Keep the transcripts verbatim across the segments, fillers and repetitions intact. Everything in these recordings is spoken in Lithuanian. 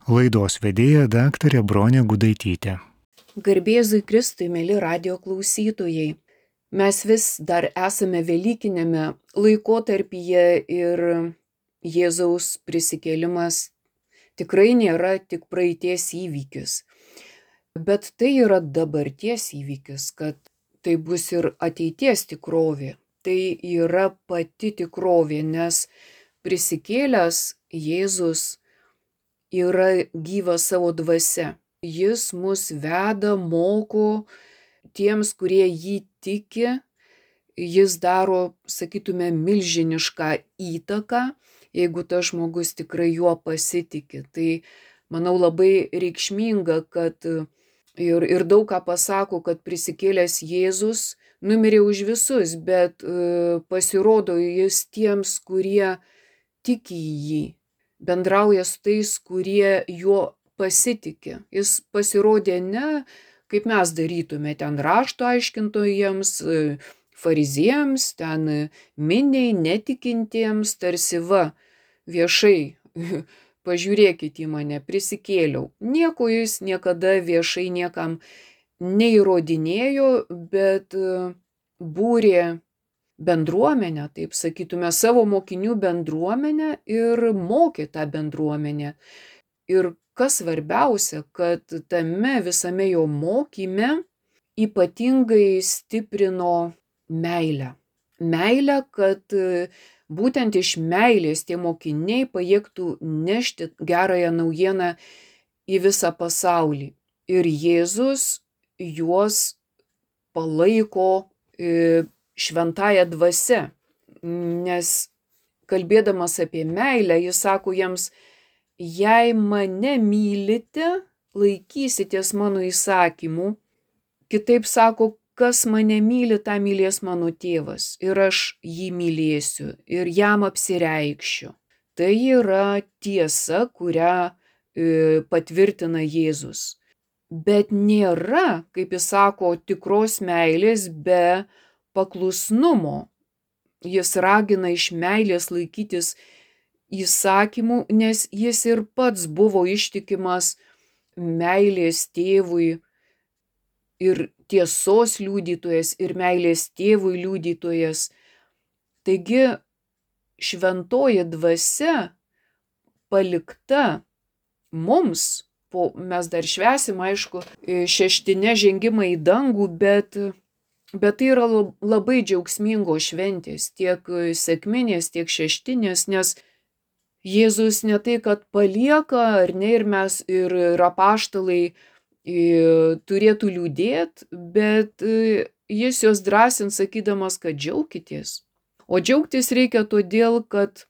Laidos vedėja daktarė Bronė Gudaitytė. Garbėzui Kristui, mėly radio klausytojai. Mes vis dar esame velykinėme laikotarpyje ir Jėzaus prisikėlimas tikrai nėra tik praeities įvykis. Bet tai yra dabarties įvykis, kad tai bus ir ateities tikrovė. Tai yra pati tikrovė, nes prisikėlęs Jėzus yra gyvas savo dvasia. Jis mus veda, moko tiems, kurie jį tiki. Jis daro, sakytume, milžinišką įtaką, jeigu tas žmogus tikrai juo pasitiki. Tai, manau, labai reikšminga, kad ir, ir daug ką pasako, kad prisikėlęs Jėzus numirė už visus, bet e, pasirodo jis tiems, kurie tiki į jį, bendrauja su tais, kurie juo pasitikė. Jis pasirodė ne, kaip mes darytume, ten rašto aiškintojams, fariziejams, ten miniai, netikintiems, tarsi va, viešai, pažiūrėkit į mane, prisikėliau. Nieko jis niekada viešai niekam neįrodinėjo, bet būrė bendruomenę, taip sakytume, savo mokinių bendruomenę ir mokė tą bendruomenę. Ir kas svarbiausia, kad tame visame jo mokyme ypatingai stiprino meilę. Meilę, kad būtent iš meilės tie mokiniai pajėgtų nešti gerąją naujieną į visą pasaulį. Ir Jėzus juos palaiko šventąja dvasia, nes kalbėdamas apie meilę, jis sako jiems, jei mane mylite, laikysitės mano įsakymų. Kitaip sako, kas mane myli, tą mylės mano tėvas. Ir aš jį mylėsiu ir jam apsireikšiu. Tai yra tiesa, kurią e, patvirtina Jėzus. Bet nėra, kaip jis sako, tikros meilės be paklusnumo. Jis ragina iš meilės laikytis įsakymų, nes jis ir pats buvo ištikimas meilės tėvui ir tiesos liudytojas, ir meilės tėvui liudytojas. Taigi šventoji dvasia palikta mums, po, mes dar švęsim, aišku, šeštinę žengimą į dangų, bet, bet tai yra labai džiaugsmingos šventės, tiek sekminės, tiek šeštinės, nes Jėzus ne tai, kad palieka, ar ne, ir mes, ir, ir apaštalai turėtų liūdėti, bet jis juos drąsins, sakydamas, kad džiaukitės. O džiaugtis reikia todėl, kad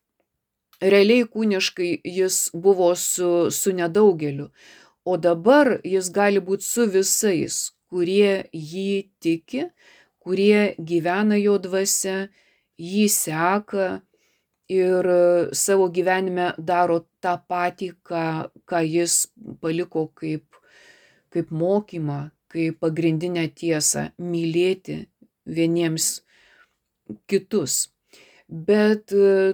realiai kūniškai jis buvo su, su nedaugeliu, o dabar jis gali būti su visais, kurie jį tiki, kurie gyvena jo dvasia, jį seka ir savo gyvenime daro tą patį, ką, ką jis paliko kaip, kaip mokymą, kaip pagrindinę tiesą - mylėti vieniems kitus. Bet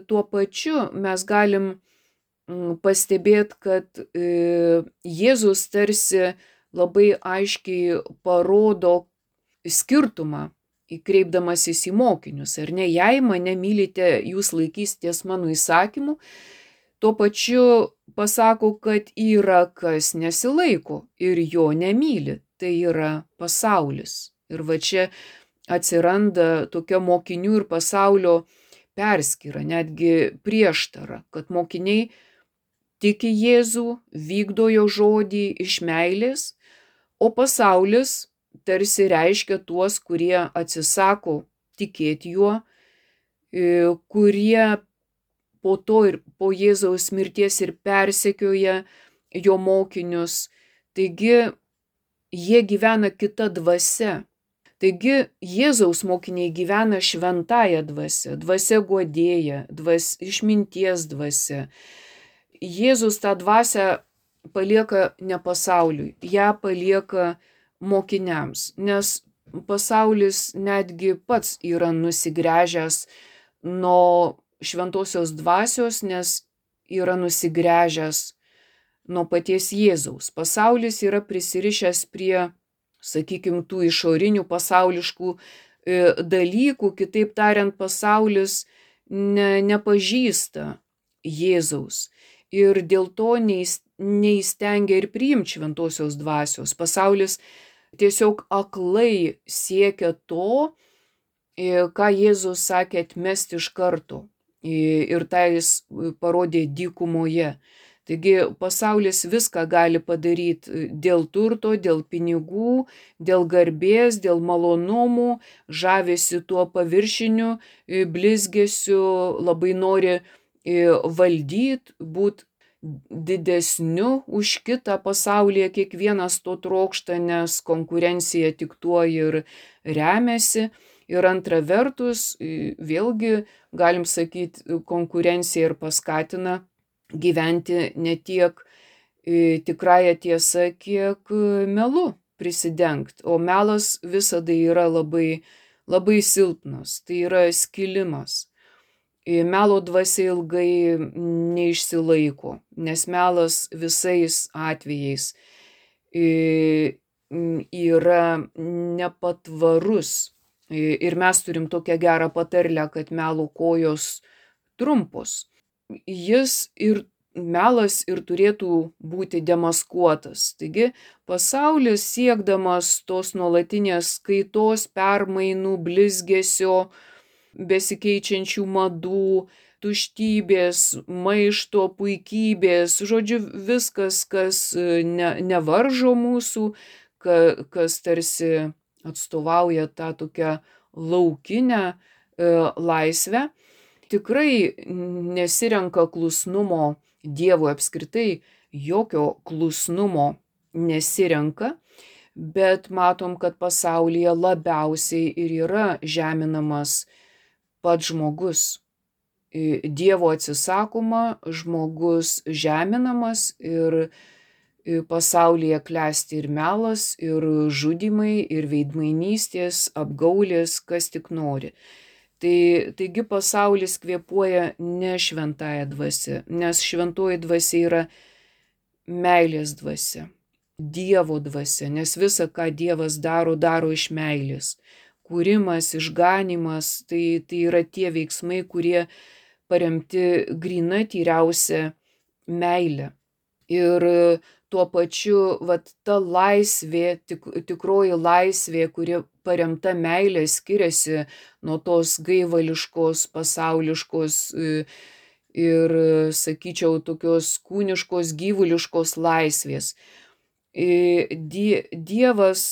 tuo pačiu mes galim pastebėti, kad Jėzus tarsi labai aiškiai parodo skirtumą, kreipdamasis į mokinius, ar ne, jei mane mylite, jūs laikysitės mano įsakymų, tuo pačiu pasako, kad yra kas nesilaiko ir jo nemyli, tai yra pasaulis. Ir va čia atsiranda tokia mokinių ir pasaulio perskyra, netgi prieštara, kad mokiniai tiki Jėzų, vykdo jo žodį iš meilės, o pasaulis tarsi reiškia tuos, kurie atsisako tikėti juo, kurie po to ir po Jėzaus mirties ir persekioja jo mokinius. Taigi jie gyvena kita dvasia. Taigi Jėzaus mokiniai gyvena šventąja dvasia, dvasia guodėja, dvas, išminties dvasia. Jėzus tą dvasią palieka ne pasauliui, ją palieka mokiniams, nes pasaulis netgi pats yra nusigręžęs nuo šventosios dvasios, nes yra nusigręžęs nuo paties Jėzaus. Pasaulis yra prisirišęs prie, sakykime, tų išorinių pasauliškų dalykų, kitaip tariant, pasaulis ne, nepažįsta Jėzaus ir dėl to neįstengia ir priimti šventosios dvasios. Pasaulis tiesiog aklai siekia to, ką Jėzus sakė atmesti iš karto, ir tai jis parodė dykumoje. Taigi pasaulis viską gali padaryti dėl turto, dėl pinigų, dėl garbės, dėl malonumų, žavisi tuo paviršiniu blizgesiu, labai nori valdyti, būti didesniu už kitą pasaulyje, kiekvienas to trokšta, nes konkurencija tik tuo ir remiasi. Ir antra vertus, vėlgi, galim sakyti, konkurencija ir paskatina gyventi ne tiek tikrąją tiesą, kiek melu prisidengti. O melas visada yra labai, labai silpnas, tai yra skilimas. Melo dvasia ilgai neišsilaiko, nes melas visais atvejais yra nepatvarus. Ir mes turim tokią gerą patarlę, kad melo kojos trumpos. Jis ir melas ir turėtų būti demaskuotas. Taigi pasaulis siekdamas tos nuolatinės kaitos, permainų, blizgesio, besikeičiančių madų, tuštybės, maišto, puikybės, žodžiu, viskas, kas ne, nevaržo mūsų, ka, kas tarsi atstovauja tą tokią laukinę e, laisvę, tikrai nesirenka klusnumo Dievui, apskritai jokio klusnumo nesirenka, bet matom, kad pasaulyje labiausiai ir yra žeminamas pats žmogus. Dievo atsisakoma, žmogus žeminamas ir pasaulyje klesti ir melas, ir žudymai, ir veidmainystės, apgaulės, kas tik nori. Tai, taigi pasaulis kvėpuoja ne šventąją dvasią, nes šventoji dvasia yra meilės dvasia, Dievo dvasia, nes visa, ką Dievas daro, daro iš meilės. Kūrimas, išganimas, tai, tai yra tie veiksmai, kurie paremti gryna tyriausia meilė. Ir tuo pačiu, vat, ta laisvė, tik, tikroji laisvė, kuri paremta meilė, skiriasi nuo tos gaivališkos, pasauliškos ir, sakyčiau, tokios kūniškos, gyvuliškos laisvės. Dievas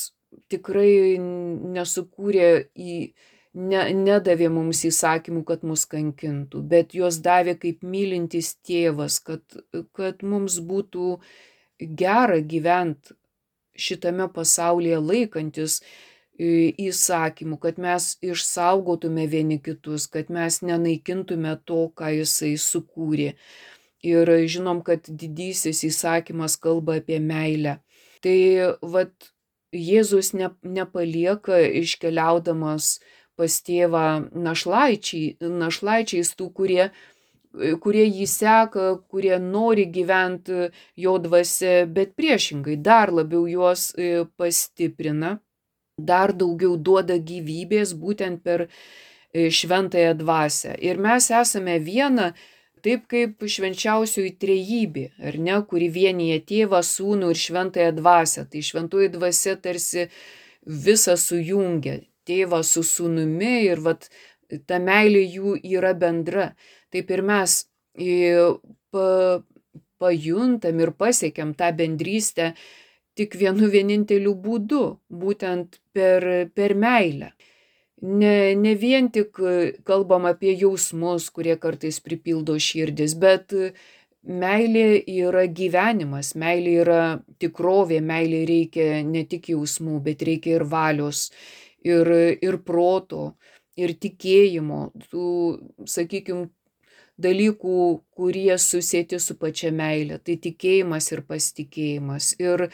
tikrai nesukūrė, į, ne, nedavė mums įsakymų, kad mus kankintų, bet juos davė kaip mylintis tėvas, kad, kad mums būtų gera gyventi šitame pasaulyje laikantis įsakymų, kad mes išsaugotume vieni kitus, kad mes nenaikintume to, ką jisai sukūrė. Ir žinom, kad didysis įsakymas kalba apie meilę. Tai vat Jėzus ne, nepalieka iškeliaudamas pas tėvą našlaičiai, našlaičiais tų, kurie kurie jį seka, kurie nori gyventi jo dvasia, bet priešingai dar labiau juos pastiprina, dar daugiau duoda gyvybės būtent per šventąją dvasią. Ir mes esame viena, taip kaip švenčiausioji trejybė, ar ne, kuri vienyje Tėvą, Sūnų ir šventąją dvasią. Tai šventoji dvasia tarsi visą sujungia, Tėvą su Sūnumi, ir vat ta meilė jų yra bendra. Taip ir mes pa, pajuntam ir pasiekiam tą bendrystę tik vienu vieninteliu būdu, būtent per, per meilę. Ne, ne vien tik kalbam apie jausmus, kurie kartais pripildo širdis, bet meilė yra gyvenimas, meilė yra tikrovė, meilė reikia ne tik jausmų, bet reikia ir valios, ir, ir proto, ir tikėjimo, tų, sakykime, dalykų, kurie susieti su pačia meilė. Tai tikėjimas ir pasitikėjimas. Ir,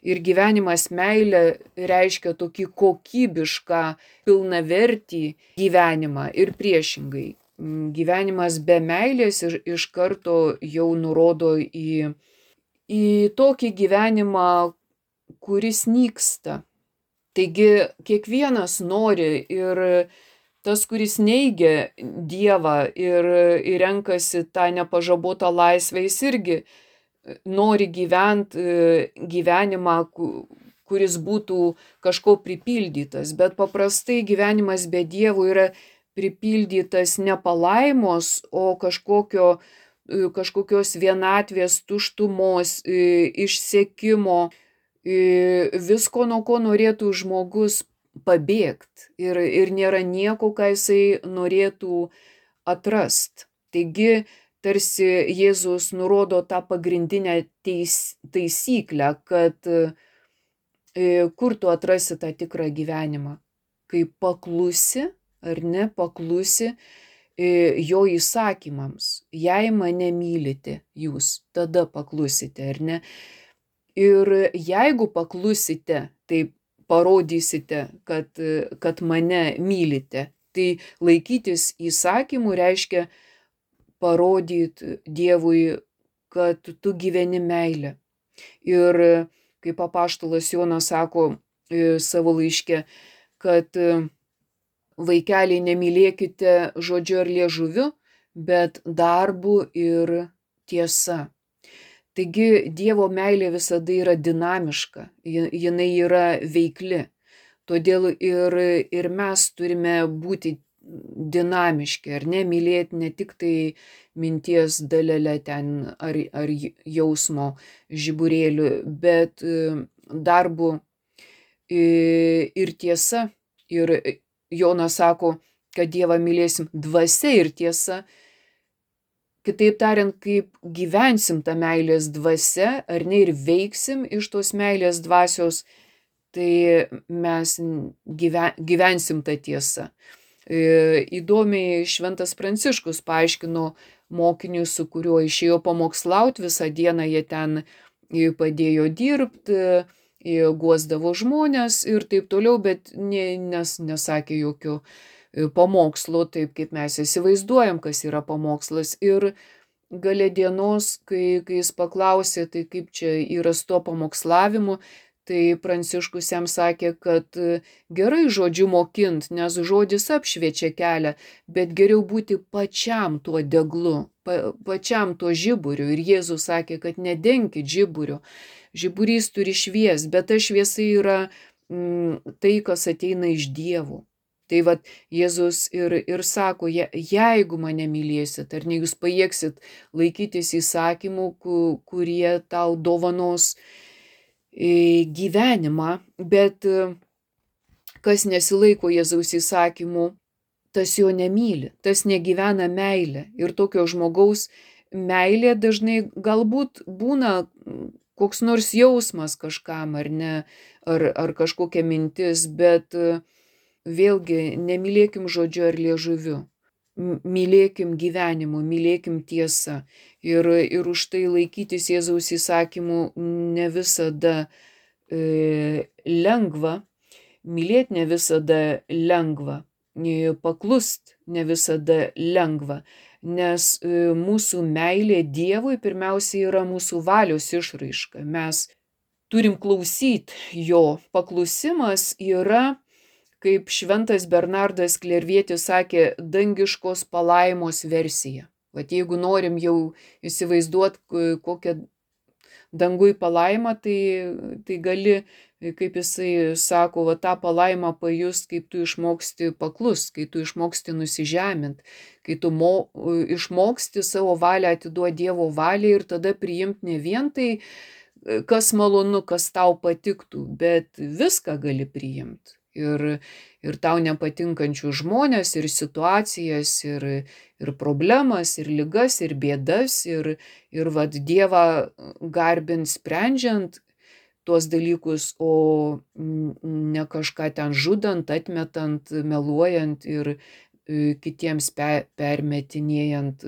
ir gyvenimas meilė reiškia tokį kokybišką, pilnavertį gyvenimą ir priešingai. Gyvenimas be meilės ir iš karto jau nurodo į, į tokį gyvenimą, kuris nyksta. Taigi kiekvienas nori, ir tas, kuris neigia Dievą ir, ir renkasi tą nepažabotą laisvę, jis irgi nori gyventi gyvenimą, kuris būtų kažko pripildytas. Bet paprastai gyvenimas be Dievo yra pripildytas ne palaimos, o kažkokio, kažkokios vienatvės, tuštumos, išsekimo, visko, nuo ko norėtų žmogus pabėgti. Ir, ir nėra nieko, ką jisai norėtų atrast. Taigi, tarsi Jėzus nurodo tą pagrindinę teis, taisyklę, kad e, kur tu atrasi tą tikrą gyvenimą. Kai paklusi, ar ne, paklusi e, jo įsakymams. Jei mane mylite jūs, tada paklusite, ar ne. Ir jeigu paklusite, tai parodysite, kad, kad mane mylite. Tai laikytis įsakymų reiškia parodyti Dievui, kad tu gyveni meilę. Ir kaip apaštalas Jonas sako savo laiške, kad vaikeliai, nemylėkite žodžiu ar liežuviu, bet darbu ir tiesa. Taigi Dievo meilė visada yra dinamiška, jinai yra veikli. Todėl ir, ir mes turime būti dinamiški, ar ne, mylėti ne tik tai minties dalelę ten ar, ar jausmo žiburėlių, bet darbu ir tiesa. Ir Jonas sako, kad Dievą mylėsim dvasia ir tiesa. Kitaip tariant, kaip gyvensim tą meilės dvasia, ar ne, ir veiksim iš tos meilės dvasios, tai mes gyven, gyvensim tą tiesą. Įdomiai Šventas Pranciškus paaiškino mokiniui, su kuriuo išėjo pamokslauti, visą dieną jie ten padėjo dirbti, guosdavo žmonės ir taip toliau, bet ne, nes, nesakė jokio pamokslo, taip kaip mes įsivaizduojam, kas yra pamokslas. Ir gale dienos, kai, kai jis paklausė, tai kaip čia yra su tuo pamokslavimu, tai Pranciškus jam sakė, kad gerai žodžiu mokint, nes žodis apšviečia kelią, bet geriau būti pačiam tuo deglu, pa, pačiam tuo žiburiu. Ir Jėzus sakė, kad nedenkit žiburiu. Žiburys turi švies, bet ta šviesa yra mm, tai, kas ateina iš Dievo. Tai vat Jėzus ir, ir sako, je, jeigu mane mylėsit, ar ne, jūs pajėgsit laikytis įsakymų, kurie tau dovanos gyvenimą, bet kas nesilaiko Jėzaus įsakymų, tas jo nemyli, tas negyvena meilę. Ir tokio žmogaus meilė dažnai galbūt būna koks nors jausmas kažkam, ar ne, ar, ar kažkokia mintis, bet vėlgi, nemylėkim žodžiu ar liežuviu, mylėkim gyvenimu, mylėkim tiesą. Ir, ir už tai laikytis Jėzaus įsakymų ne visada e, lengva, mylėti ne visada lengva, paklust ne visada lengva, nes e, mūsų meilė Dievui pirmiausia yra mūsų valios išraiška. Mes turim klausyti jo. Paklusimas yra, kaip šventas Bernardas Klervietis sakė, dangiškos palaimos versija. Vat jeigu norim jau įsivaizduoti kokią dangui palaimą, tai, tai gali, kaip jisai sako, va, tą palaimą pajust, kaip tu išmoksti paklust, kai tu išmoksti nusižemint, kai tu mo, išmoksti savo valią atiduoti Dievo valiai ir tada priimti ne vien tai, kas malonu, kas tau patiktų, bet viską gali priimti. Ir, ir tau nepatinkančių žmonės, ir situacijas, ir, ir problemas, ir ligas, ir bėdas, ir, ir vat Dievą garbint sprendžiant tuos dalykus, o ne kažką ten žudant, atmetant, meluojant ir kitiems pe, permetinėjant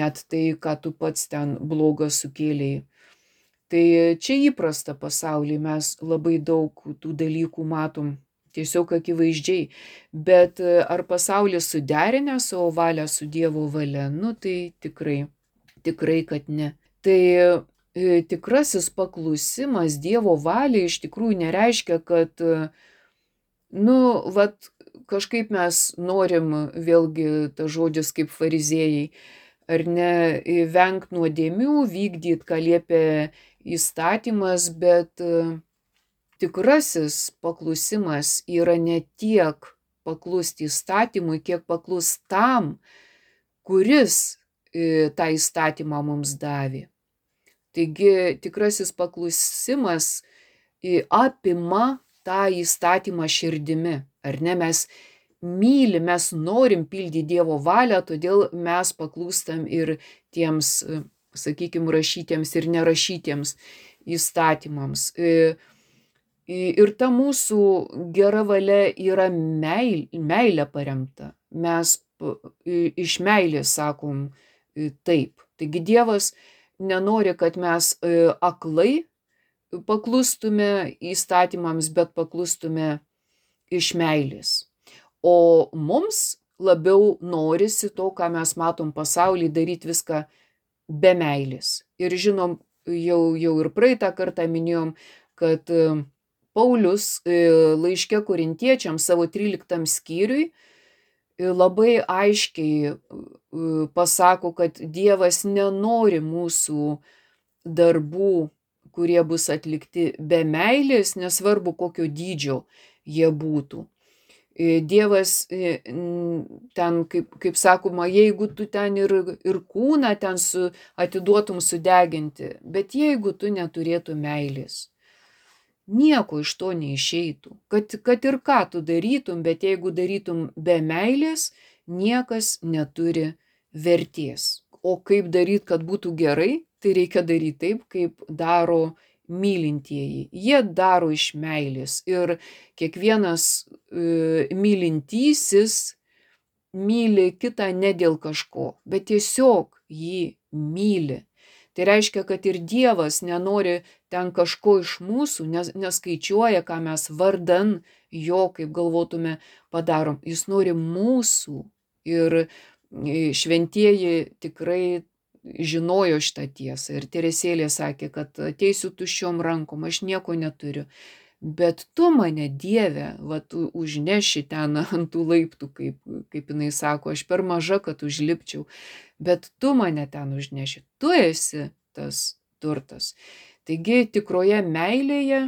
net tai, ką tu pats ten bloga sukėlėjai. Tai čia įprasta pasaulyje, mes labai daug tų dalykų matom tiesiog akivaizdžiai, bet ar pasaulis suderinę savo valią su Dievo valia, nu tai tikrai, tikrai, kad ne. Tai tikrasis paklusimas Dievo valiai iš tikrųjų nereiškia, kad, nu, vat, kažkaip mes norim, vėlgi tas žodis kaip fariziejai, ar ne, vengt nuodėmių, vykdyt, ką liepia įstatymas, bet tikrasis paklusimas yra ne tiek paklusti įstatymui, kiek paklus tam, kuris tą įstatymą mums davė. Taigi tikrasis paklusimas apima tą įstatymą širdimi, ar ne? Mes mylim, mes norim pildyti Dievo valią, todėl mes paklūstam ir tiems, sakykime, rašytiems ir nerašytiems įstatymams. Ir ta mūsų gera valia yra meil, meilė paremta. Mes iš meilės sakom taip. Taigi Dievas nenori, kad mes aklai paklustume įstatymams, bet paklustume iš meilės. O mums labiau norisi to, ką mes matom pasaulyje, daryti viską be meilės. Ir žinom, jau, jau ir praeitą kartą minėjom, kad Paulius laiške Korintiečiams savo tryliktam skyriui labai aiškiai pasako, kad Dievas nenori mūsų darbų, kurie bus atlikti be meilės, nesvarbu kokio dydžio jie būtų. Dievas ten, kaip, kaip sakoma, jeigu tu ten ir, ir kūną ten su, atiduotum sudeginti, bet jeigu tu neturėtum meilės, nieko iš to neišeitų. Kad, kad ir ką tu darytum, bet jeigu darytum be meilės, niekas neturi vertės. O kaip daryti, kad būtų gerai, tai reikia daryti taip, kaip daro mylintieji. Jie daro iš meilės. Ir kiekvienas e, mylintysis myli kitą ne dėl kažko, bet tiesiog jį myli. Tai reiškia, kad ir Dievas nenori ten kažko iš mūsų, nes, neskaičiuoja, ką mes vardan jo, kaip galvotume, padarom. Jis nori mūsų. Ir šventieji tikrai žinojo šitą tiesą. Ir Teresėlė sakė, kad ateisiu tuščiom rankom, aš nieko neturiu. Bet tu mane, Dieve, va, tu užneši ten ant tų laiptų, kaip, kaip jinai sako, aš per maža, kad užlipčiau. Bet tu mane ten užneši. Tu esi tas turtas. Taigi tikroje meilėje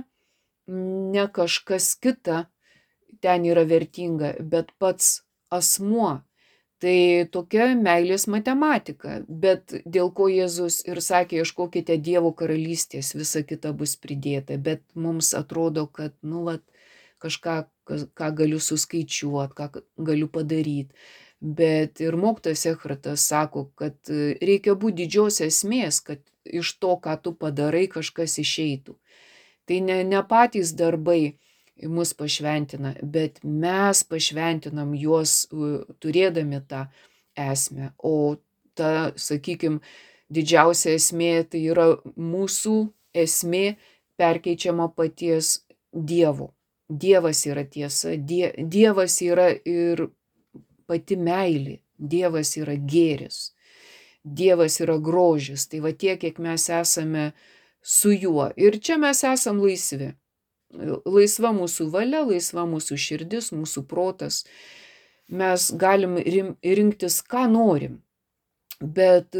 ne kažkas kita ten yra vertinga, bet pats asmuo. Tai tokia meilės matematika, bet dėl ko Jėzus ir sakė, ieškokite Dievo karalystės, visa kita bus pridėta, bet mums atrodo, kad, nu, vat, kažką, ką galiu suskaičiuoti, ką galiu padaryti. Bet ir mokytojas Echartas sako, kad reikia būti didžios esmės, kad iš to, ką tu padarai, kažkas išeitų. Tai ne, ne patys darbai mus pašventina, bet mes pašventinam juos turėdami tą esmę. O ta, sakykime, didžiausia esmė tai yra mūsų esmė perkeičiama paties Dievo. Dievas yra tiesa, die, Dievas yra ir pati meilė, Dievas yra gėris, Dievas yra grožis. Tai va tiek, kiek mes esame su juo. Ir čia mes esam laisvi. Laisva mūsų valia, laisva mūsų širdis, mūsų protas. Mes galim rinktis, ką norim. Bet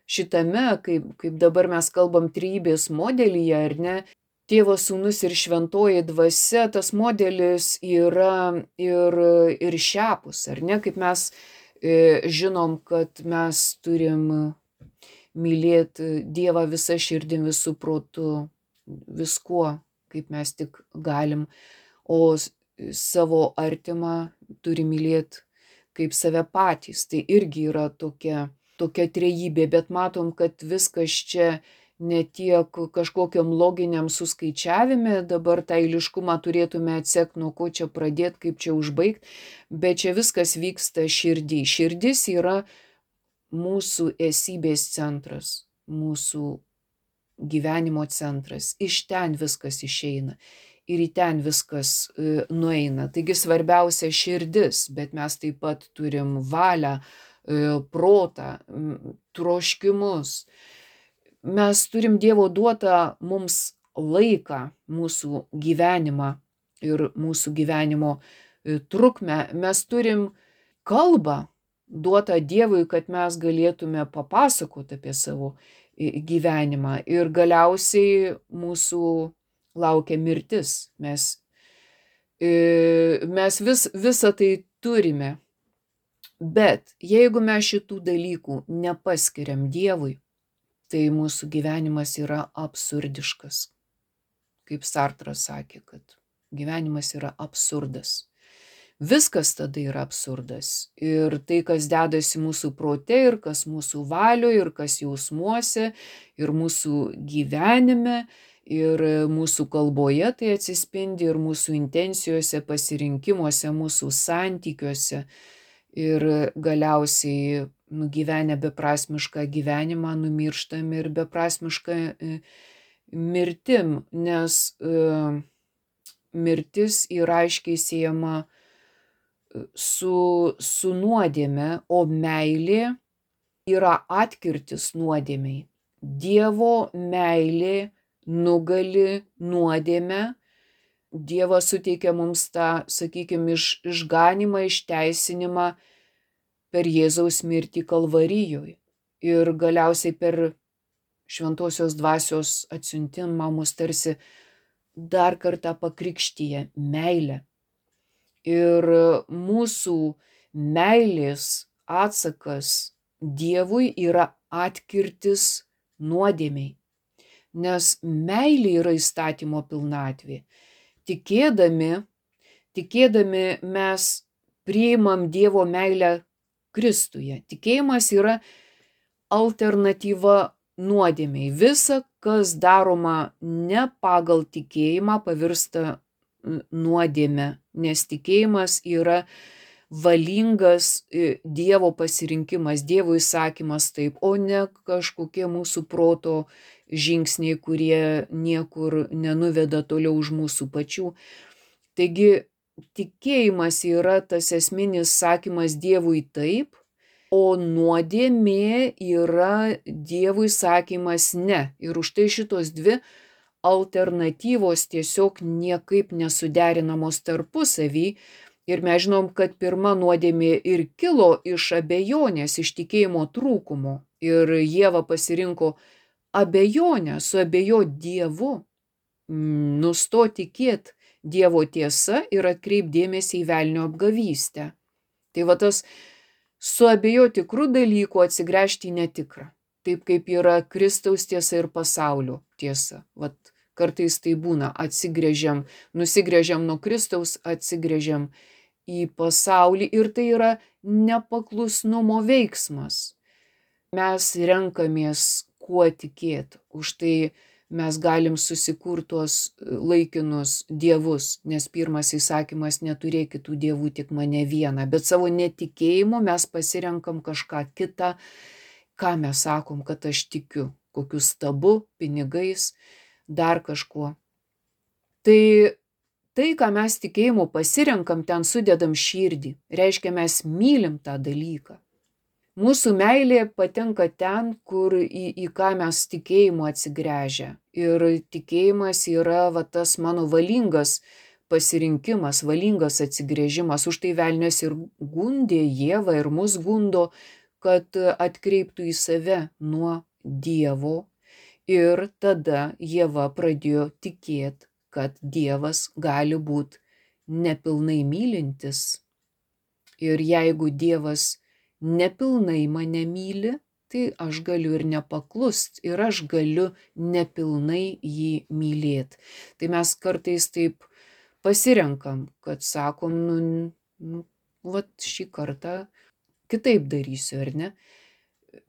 šitame, kaip, kaip dabar mes kalbam trejybės modelyje, ar ne, Tėvas, Sūnus ir Šventoji Dvasia, tas modelis yra ir, ir šiapus, ar ne, kaip mes e, žinom, kad mes turim mylėti Dievą visą širdim, visų protu, viskuo, kaip mes tik galim, o savo artimą turi mylėti kaip save patys. Tai irgi yra tokia, tokia trejybė, bet matom, kad viskas čia ne tiek kažkokiam loginiam suskaičiavime, dabar tą eiliškumą turėtume atsekti, nuo ko čia pradėti, kaip čia užbaigti, bet čia viskas vyksta širdį. Širdis yra mūsų esybės centras, mūsų gyvenimo centras. Iš ten viskas išeina ir į ten viskas e, nueina. Taigi svarbiausia širdis, bet mes taip pat turim valią, e, protą, troškimus. mes turim Dievo duotą mums laiką, mūsų gyvenimą ir mūsų gyvenimo trukmę. Mes turim kalbą duotą Dievui, kad mes galėtume papasakoti apie savo gyvenimą. Ir galiausiai mūsų laukia mirtis. Mes, mes vis, visą tai turime. Bet jeigu mes šitų dalykų nepaskiriam Dievui, tai mūsų gyvenimas yra absurdiškas. Kaip Sartras sakė, kad gyvenimas yra absurdas. Viskas tada yra absurdas. Ir tai, kas dedasi mūsų prote, ir kas mūsų valioje, ir kas jausmuose, ir mūsų gyvenime, ir mūsų kalboje tai atsispindi, ir mūsų intencijose, pasirinkimuose, mūsų santykiuose. Ir galiausiai nugyvenę beprasmišką gyvenimą numirštam ir beprasmišką mirtim, nes mirtis yra aiškiai siejama su, su nuodėme, o meilė yra atkirtis nuodėmei. Dievo meilė nugali nuodėmę. Dievas suteikia mums tą, sakykime, iš, išganimą, išteisinimą per Jėzaus mirtį Kalvarijoje. Ir galiausiai per šventosios dvasios atsiuntimą mus tarsi dar kartą pakrikštyja meilę. Ir mūsų meilės atsakas Dievui yra atkirtis nuodėmei. Nes meilė yra įstatymo pilnatvė. Tikėdami, tikėdami mes priimam Dievo meilę Kristuje. Tikėjimas yra alternatyva nuodėmei. Visa, kas daroma ne pagal tikėjimą, pavirsta nuodėme, nes tikėjimas yra valingas Dievo pasirinkimas, Dievo įsakymas taip, o ne kažkokie mūsų proto žingsniai, kurie niekur nenuveda toliau už mūsų pačių. Taigi tikėjimas yra tas esminis sakymas Dievui taip, o nuodėmė yra Dievui sakymas ne. Ir už tai šitos dvi alternatyvos tiesiog niekaip nesuderinamos tarpusavy. Ir mes žinom, kad pirma nuodėmė ir kilo iš abejonės, iš tikėjimo trūkumo. Ir Ieva pasirinko abejonę, suabejo Dievu, nusto tikėt Dievo tiesa ir atkreip dėmesį į velnio apgavystę. Tai va tas suabejo tikrų dalykų, atsigręžti į netikrą. Taip kaip yra Kristaus tiesa ir pasaulio tiesa. Vat kartais tai būna, atsigręžiam, nusigręžiam nuo Kristaus, atsigręžiam į pasaulį ir tai yra nepaklusnumo veiksmas. Mes renkamės kuo tikėti, už tai mes galim susikurti tuos laikinus dievus, nes pirmas įsakymas neturėk kitų dievų, tik mane vieną, bet savo netikėjimu mes pasirenkam kažką kitą, ką mes sakom, kad aš tikiu, kokiu stabu, pinigais, dar kažkuo. Tai tai, ką mes tikėjimu pasirenkam, ten sudedam širdį, reiškia mes mylim tą dalyką. Mūsų meilė patenka ten, kur į, į ką mes tikėjimu atsigręžia. Ir tikėjimas yra va, tas mano valingas pasirinkimas, valingas atsigręžimas. Už tai velnias ir gundė Ievą ir mus gundo, kad atkreiptų į save nuo Dievo. Ir tada Ieva pradėjo tikėti, kad Dievas gali būti nepilnai mylintis. Ir jeigu Dievas nepilnai mane myli, tai aš galiu ir nepaklust, ir aš galiu nepilnai jį mylėti. Tai mes kartais taip pasirenkam, kad sakom, nu, nu vat šį kartą kitaip darysiu, ar ne?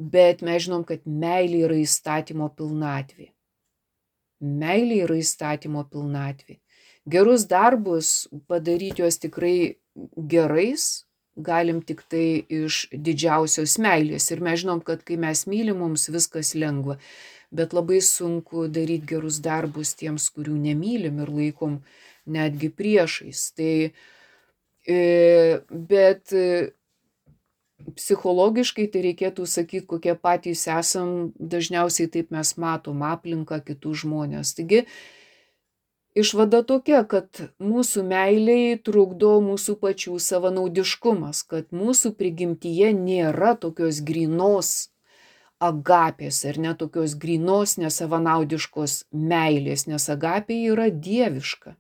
Bet mes žinom, kad meilė yra įstatymo pilnatvė. Meilė yra įstatymo pilnatvė. Gerus darbus padaryti juos tikrai gerais galim tik tai iš didžiausios meilės. Ir mes žinom, kad kai mes mylim, mums viskas lengva. Bet labai sunku daryti gerus darbus tiems, kurių nemylim ir laikom netgi priešais. Tai, bet psichologiškai tai reikėtų sakyti, kokie patys esam, dažniausiai taip mes matom aplinką, kitus žmonės. Taigi, išvada tokia, kad mūsų meiliai trukdo mūsų pačių savanaudiškumas, kad mūsų prigimtyje nėra tokios grynos agapės ir ne tokios grynos nesavanaudiškos meilės, nes agapė yra dieviška.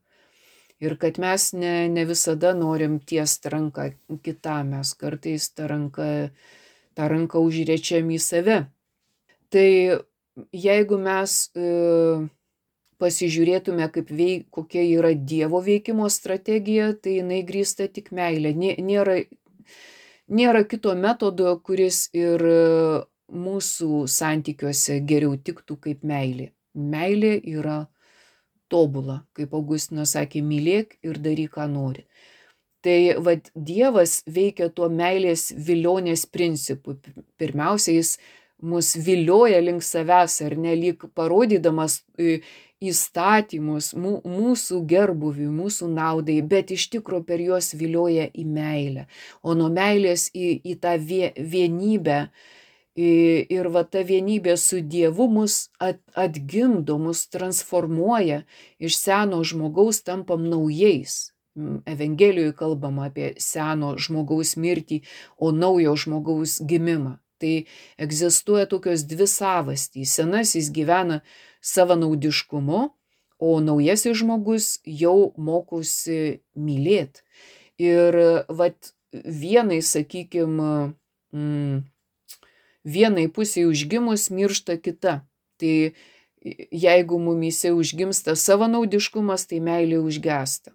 Ir kad mes ne, ne visada norim tiest ranką kitam, mes kartais tą ranką, tą ranką užrečiam į save. Tai jeigu mes e, pasižiūrėtume, kaip veik, kokia yra Dievo veikimo strategija, tai jinai grįsta tik meilė. Nėra, nėra kito metodo, kuris ir mūsų santykiuose geriau tiktų kaip meilė. Meilė yra tobula, kaip Augustinas sakė, mylėk ir daryk, ką nori. Tai vad Dievas veikia tuo meilės vilionės principu. Pirmiausia, jis mus vilioja link savęs, ar ne, lyg parodydamas įstatymus mūsų gerbuviui, mūsų naudai, bet iš tikro per juos vilioja į meilę. O nuo meilės į, į tą vienybę. Ir va ta vienybė su Dievu mus atgimdo, mus transformuoja, iš seno žmogaus tampam naujais. Evangelijoje kalbama apie seno žmogaus mirtį, o naujo žmogaus gimimą. Tai egzistuoja tokios dvi savastys. Senasis gyvena savanaudiškumu, o naujasis žmogus jau mokosi mylėti. Ir vat vienai, sakykime, mm, vienai pusiai užgimus miršta kita. Tai jeigu mumyse užgimsta savanaudiškumas, tai meilė užgesta.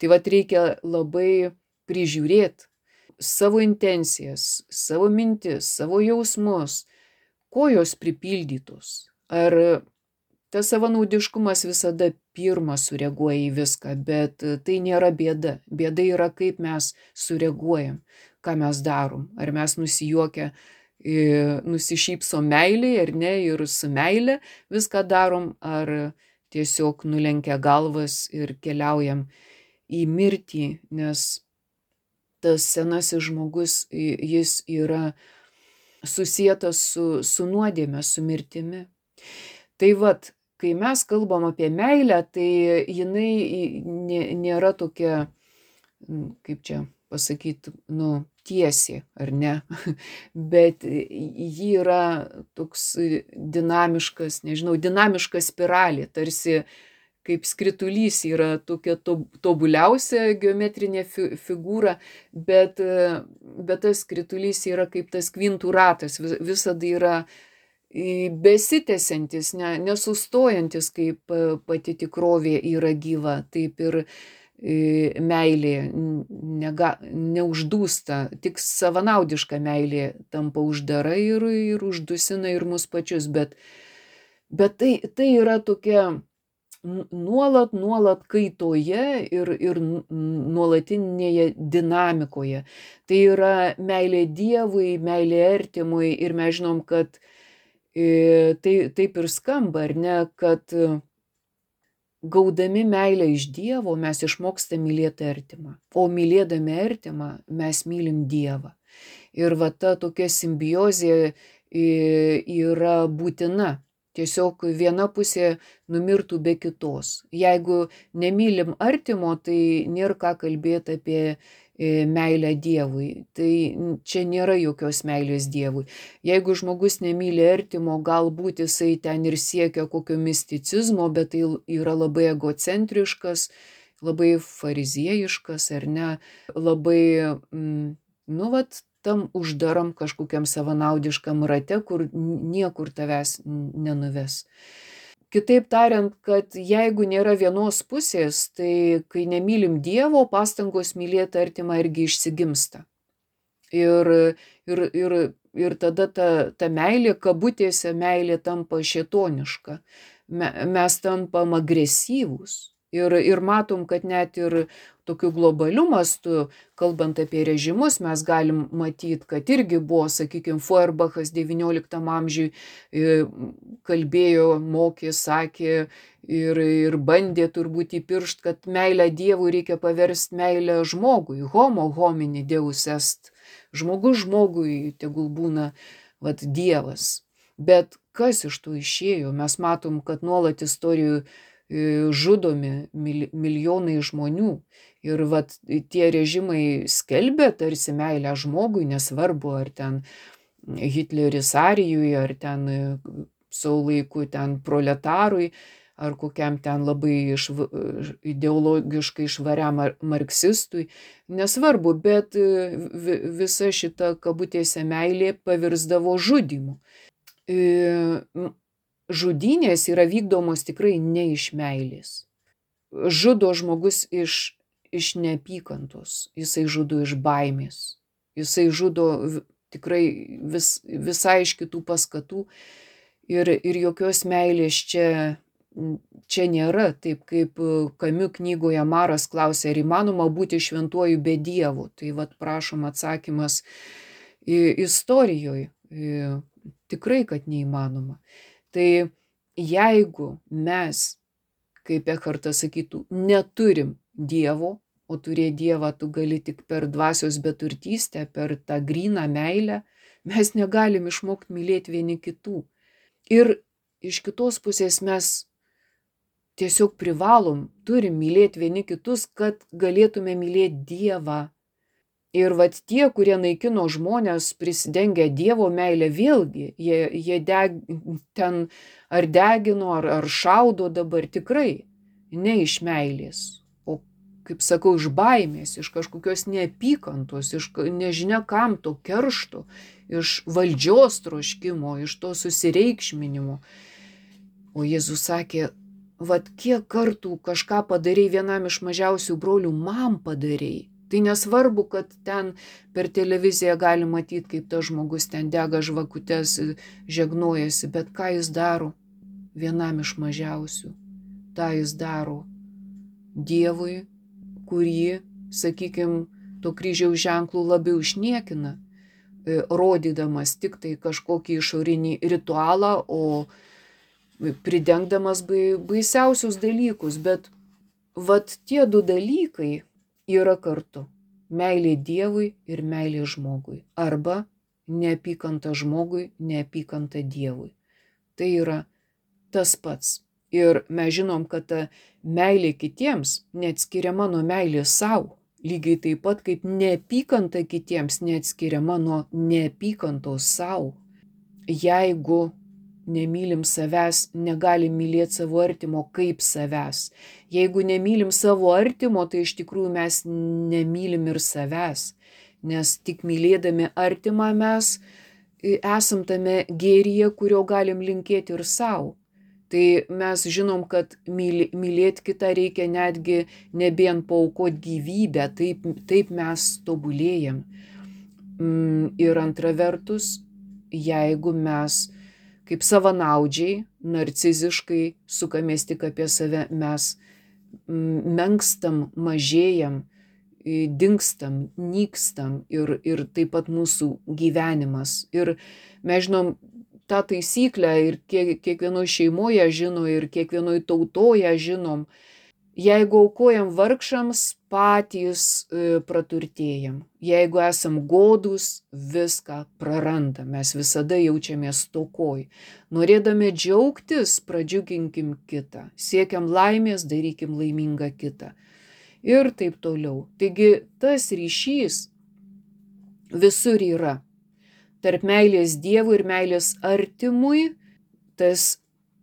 Tai vat reikia labai prižiūrėti savo intencijas, savo mintis, savo jausmus, ko jos pripildytos. Ar tas savanaudiškumas visada pirmas sureaguoja į viską, bet tai nėra bėda. Bėda yra, kaip mes sureaguojam, ką mes darom. Ar mes nusijuokia, nusišypsom meiliai, ar ne, ir su meile viską darom, ar tiesiog nulenkia galvas ir keliaujam į mirtį, nes tas senasis žmogus, jis yra susietas su, su nuodėme, su mirtimi. Tai vat, kai mes kalbam apie meilę, tai jinai nėra tokia, kaip čia pasakyti, nu, tiesiai, ar ne, bet ji yra toks dinamiškas, nežinau, dinamiška spiralė, tarsi kaip skritulys yra tokia tobuliausia geometrinė figūra, bet, bet tas skritulys yra kaip tas kvintų ratas, visada yra besitęsiantis, ne, nesustojantis, kaip pati tikrovė yra gyva, taip ir meilė nega, neuždūsta, tik savanaudiška meilė tampa uždara ir, ir uždusina ir mus pačius, bet, bet tai, tai yra tokia nuolat, nuolat kaitoje ir, ir nuolatinėje dinamikoje. Tai yra meilė Dievui, meilė artimui ir mes žinom, kad e, tai taip ir skamba, ar ne, kad gaudami meilę iš Dievo mes išmokstame mylėti artimą, o mylėdami artimą mes mylim Dievą. Ir va ta tokia simbiozė yra būtina. Tiesiog viena pusė numirtų be kitos. Jeigu nemylim artimo, tai nėra ką kalbėti apie meilę Dievui. Tai čia nėra jokios meilės Dievui. Jeigu žmogus nemyli artimo, galbūt jisai ten ir siekia kokio misticizmo, bet tai yra labai egocentriškas, labai fariziejiškas, ar ne, labai, nu vat, tam uždaram kažkokiam savanaudiškam rate, kur niekur tavęs nenuves. Kitaip tariant, kad jeigu nėra vienos pusės, tai kai nemylim Dievo, pastangos mylėti artimą irgi išsigimsta. Ir, ir, ir, ir tada ta, ta meilė, kabutėse meilė tampa šėtoniška. Me, mes tampam agresyvūs. Ir, ir matom, kad net ir tokiu globaliu mastu, kalbant apie režimus, mes galim matyti, kad irgi buvo, sakykime, Feuerbachas devynioliktam amžiui kalbėjo, mokė, sakė ir, ir bandė turbūt įpiršt, kad meilę Dievui reikia paversti meilę žmogui, homo homini deus est. žmogus žmogui tegul būna vat Dievas. Bet kas iš to išėjo? Mes matom, kad nuolat istorijų žudomi milijonai žmonių. Ir vat tie režimai skelbia tarsi meilę žmogui, nesvarbu, ar ten Hitleris Arijui, ar ten savo laiku ten proletarui, ar kokiam ten labai išv... ideologiškai švariam marksistui. Nesvarbu, bet visa šita kabutėse meilė pavirsdavo žudymu. Žudynės yra vykdomos tikrai ne iš meilės. Žudo žmogus iš, iš neapykantos, jisai žudo iš baimės, jisai žudo tikrai vis, visai iš kitų paskatų ir, ir jokios meilės čia, čia nėra. Taip kaip Kamiu knygoje Maras klausė, ar įmanoma būti šventuoju be Dievo. Tai vat prašom atsakymas istorijoje. Tikrai, kad neįmanoma. Tai jeigu mes, kaip Ekhartas sakytų, neturim Dievo, o turėti Dievą tu gali tik per dvasios beturtystę, per tą gryną meilę, mes negalim išmokti mylėti vieni kitų. Ir iš kitos pusės mes tiesiog privalom, turim mylėti vieni kitus, kad galėtume mylėti Dievą. Ir vat tie, kurie naikino žmonės prisidengia Dievo meilę, vėlgi, jie, jie deg, ten ar degino, ar, ar šaudo dabar tikrai, ne iš meilės, o, kaip sakau, iš baimės, iš kažkokios neapykantos, iš nežinia kam to keršto, iš valdžios troškimo, iš to susireikšminimo. O Jėzus sakė, vat kiek kartų kažką padarei vienam iš mažiausių brolių, man padarei. Tai nesvarbu, kad ten per televiziją gali matyti, kaip tas žmogus ten dega žvakutes, žegnojasi, bet ką jis daro vienam iš mažiausių? Ta jis daro Dievui, kurį, sakykime, to kryžiaus ženklų labiau išniekina, rodydamas tik tai kažkokį išorinį ritualą, o pridengdamas baisiausius dalykus. Bet vat tie du dalykai yra kartu. Meilė Dievui ir meilė žmogui. Arba neapykanta žmogui, neapykanta Dievui. Tai yra tas pats. Ir mes žinom, kad ta meilė kitiems neatskiriama nuo meilės savo. Lygiai taip pat kaip neapykanta kitiems neatskiriama nuo neapykantos savo. Jeigu nemylim savęs, negalim mylėti savo artimo kaip savęs. Jeigu nemylim savo artimo, tai iš tikrųjų mes nemylim ir savęs. Nes tik mylėdami artimą mes esam tame gėryje, kurio galim linkėti ir savo. Tai mes žinom, kad mylėti kitą reikia netgi nebijant paaukoti gyvybę, taip, taip mes tobulėjam. Ir antra vertus, jeigu mes kaip savanaudžiai, narciziškai sukamės tik apie save, mes menkstam, mažėjam, dingstam, nykstam ir, ir taip pat mūsų gyvenimas. Ir mes žinom tą taisyklę ir kiek, kiekvienoje šeimoje žino ir kiekvienoje tautoje žinom. Jeigu aukojam vargšams, patys e, praturtėjam. Jeigu esam godūs, viską prarandam. Mes visada jaučiamės stokoj. Norėdami džiaugtis, pradžiuginkim kitą. Siekiam laimės, darykim laimingą kitą. Ir taip toliau. Taigi tas ryšys visur yra. Tarp meilės Dievui ir meilės artimui tas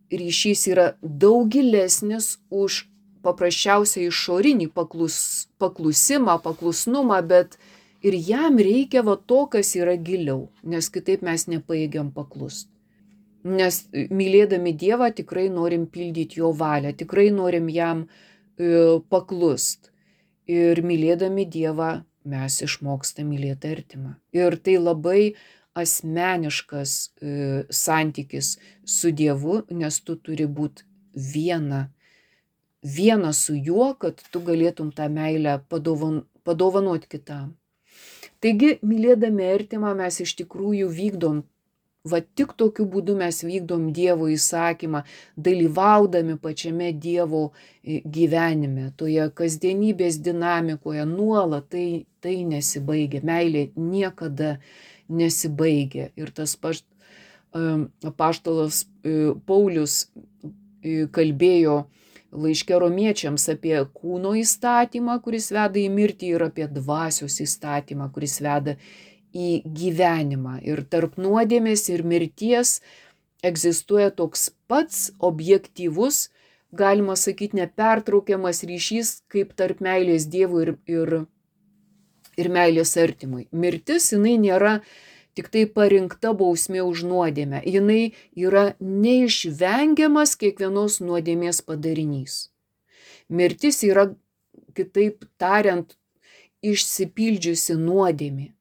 ryšys yra daug gilesnis už paprasčiausiai išorinį paklus, paklusimą, paklusnumą, bet ir jam reikia va to, kas yra giliau, nes kitaip mes nepajėgiam paklust. Nes mylėdami Dievą tikrai norim pildyti jo valią, tikrai norim jam e, paklust. Ir mylėdami Dievą mes išmokstam mylėti artimą. Ir tai labai asmeniškas e, santykis su Dievu, nes tu turi būti viena. Viena su juo, kad tu galėtum tą meilę padovan, padovanoti kitam. Taigi, mylėdami artimą mes iš tikrųjų vykdom Va tik tokiu būdu mes vykdom Dievo įsakymą, dalyvaudami pačiame Dievo gyvenime, toje kasdienybės dinamikoje nuolat, tai, tai nesibaigia, meilė niekada nesibaigia. Ir tas pašt, apaštalas Paulius kalbėjo laiške romiečiams apie kūno įstatymą, kuris veda į mirtį, ir apie dvasios įstatymą, kuris veda į gyvenimą. Ir tarp nuodėmės ir mirties egzistuoja toks pats objektyvus, galima sakyti, nepertraukiamas ryšys, kaip tarp meilės Dievui ir, ir, ir meilės artimui. Mirtis, jinai nėra tik tai parinkta bausmė už nuodėmę. Jinai yra neišvengiamas kiekvienos nuodėmės padarinys. Mirtis yra, kitaip tariant, išsipildžiusi nuodėmė.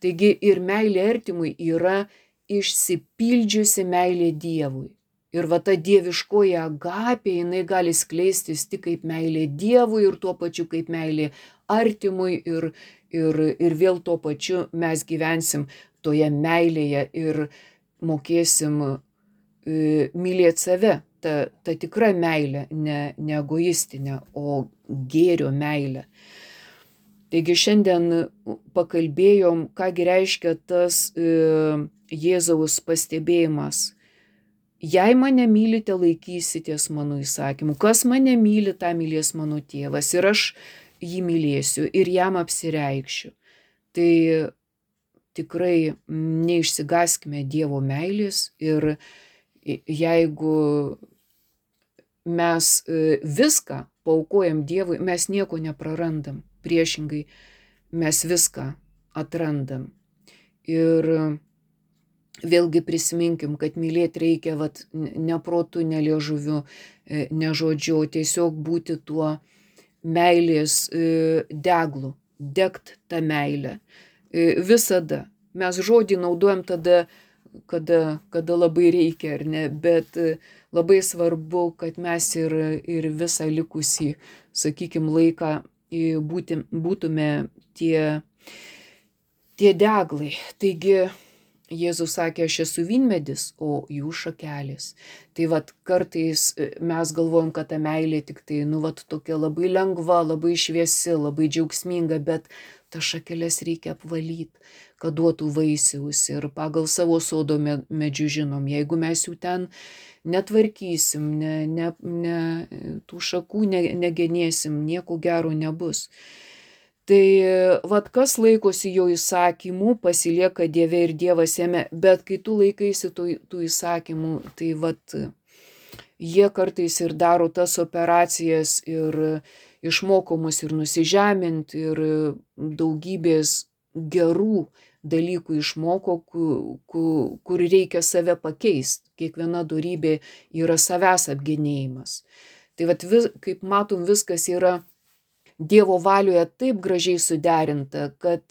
Taigi ir meilė artimui yra išsipildžiusi meilė Dievui. Ir va ta dieviškoji agapė, jinai gali skleistis tik kaip meilė Dievui ir tuo pačiu kaip meilė artimui. Ir, ir, ir vėl tuo pačiu mes gyvensim toje meilėje ir mokėsim e, mylėti save. Ta, ta tikra meilė, ne, ne egoistinė, o gėrio meilė. Taigi šiandien pakalbėjom, kągi reiškia tas e, Jėzaus pastebėjimas. Jei mane mylite, laikysitės mano įsakymų. Kas mane myli, tą mylės mano tėvas. Ir aš jį mylėsiu ir jam apsireikšiu. Tai tikrai neišsigaskime Dievo meilės. Ir jeigu mes viską paaukojam Dievui, mes nieko neprarandam. Priešingai, mes viską atrandam. Ir vėlgi prisiminkim, kad mylėti reikia vat, ne protu, ne liežuviu, ne žodžiu, tiesiog būti tuo meilės deglu, degt tą meilę. Visada. Mes žodį naudojam tada, kada, kada labai reikia, ar ne, bet labai svarbu, kad mes ir, ir visą likusį, sakykim, laiką Būti, būtume tie, tie deglai. Taigi Jėzus sakė, aš esu vynmedis, o jūs šakelės. Tai vat kartais mes galvojam, kad ta meilė tik tai, nu vat tokia labai lengva, labai šviesi, labai džiaugsminga, bet tas šakeles reikia apvalyti, kad duotų vaisiaus. Ir pagal savo sodo medžių žinom, jeigu mes jų ten netvarkysim, ne, ne, ne, tų šakų ne, negenėsim, nieko gero nebus. Tai vat kas laikosi jo įsakymų, pasilieka Dieve ir Dievas jame, bet kai tu laikaisi tų, tų įsakymų, tai vat jie kartais ir daro tas operacijas ir išmoko mus ir nusižeminti, ir daugybės gerų dalykų išmoko, kur, kur reikia save pakeisti. Kiekviena dorybė yra savęs apgenėjimas. Tai vat vis, kaip matom, viskas yra Dievo valioje taip gražiai suderinta, kad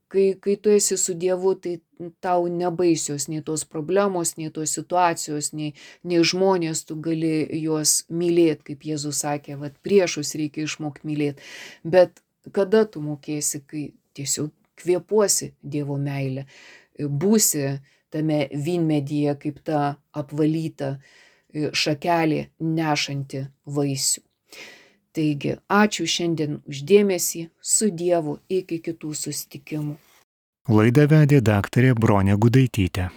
kai, kai tu esi su Dievu, tai tau nebaisios nei tos problemos, nei tos situacijos, nei, nei žmonės, tu gali juos mylėti, kaip Jėzus sakė, vat priešus reikia išmokti mylėti. Bet kada tu mokėsi, kai tiesiog kvėpuosi Dievo meilę, būsi tame vynmedyje kaip ta apvalyta šakelė nešanti vaisių. Taigi, ačiū šiandien už dėmesį, su Dievu, iki kitų susitikimų. Laidą vedė daktarė Bronė Gudaitytė.